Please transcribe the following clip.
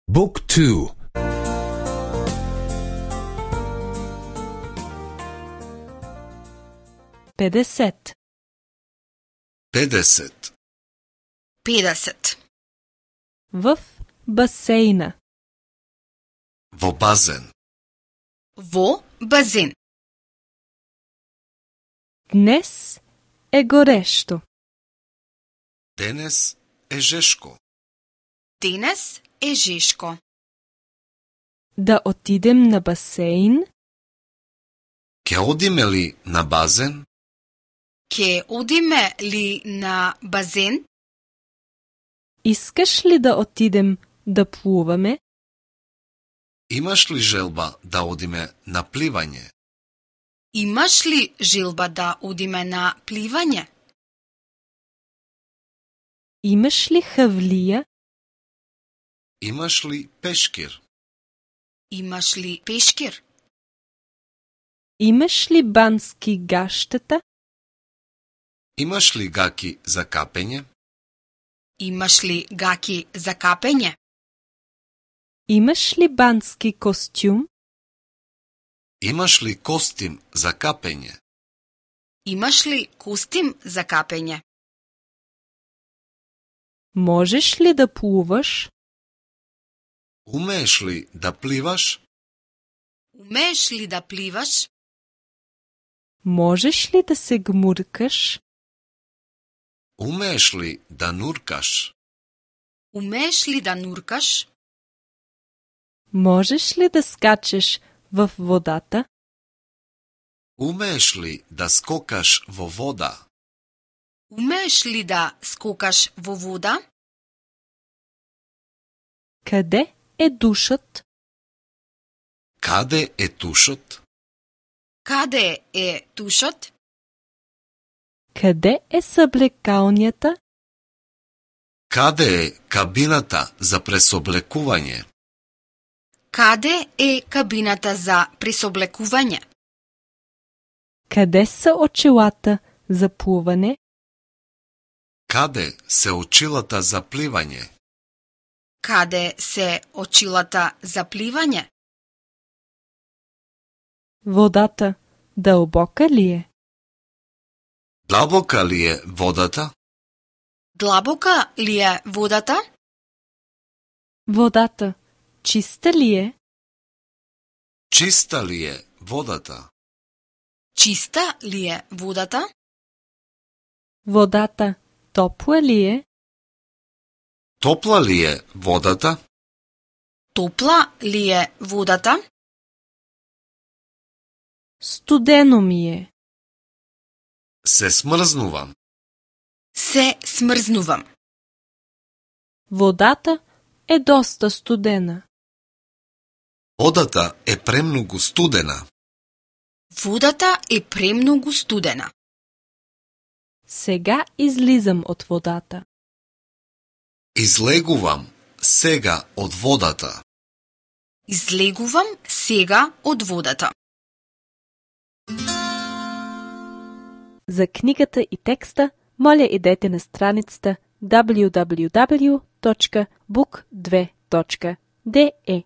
Book 2. 50. 50. 50. В басейна. Во базен. Во базен. Днес е горешто. Денес е жешко. Денес е жешко. Да отидем на басейн? Ке одиме ли на базен? Ке одиме ли на базен? Искаш ли да отидем да плуваме? Имаш ли желба да одиме на пливање? Имаш ли желба да одиме на пливање? Имаш ли хавлија? Имаш ли пешкир? Имаш ли пешкир? Имаш ли бански гаштета? Имаш ли гаки за капење? Имаш ли гаки за капење? Имаш ли бански костюм? Имаш ли костим за капење? Имаш ли костим за капење? Можеш ли да плуваш? Умееш ли да пливаш? Умееш ли да пливаш? Можеш ли да се гмуркаш? Умееш ли да нуркаш? Умееш ли да нуркаш? Можеш ли да скачеш в водата? Умееш ли да скокаш во вода? Умееш ли да скокаш во вода? Каде е душот? Каде е тушот? Каде е тушот? Каде е съблекалнята? Каде е кабината за пресоблекување? Каде е кабината за пресоблекување? Къде са очилата за плуване? Каде се очилата за пливање? Каде се очилата за пливање? Водата дълбока ли е? Длабока ли е водата? Длабока ли е водата? Водата чиста ли е? Чиста ли е водата? Чиста ли е водата? Водата топла ли е? Топла ли е водата? Топла ли е водата? Студено ми е. Се смрзнувам. Се смрзнувам. Водата е доста студена. Водата е премногу студена. Водата е премногу студена. Сега излизам от водата. Излегувам сега од водата. Излегувам сега од водата. За книгата и текста, моля идете на страницата www.book2.de.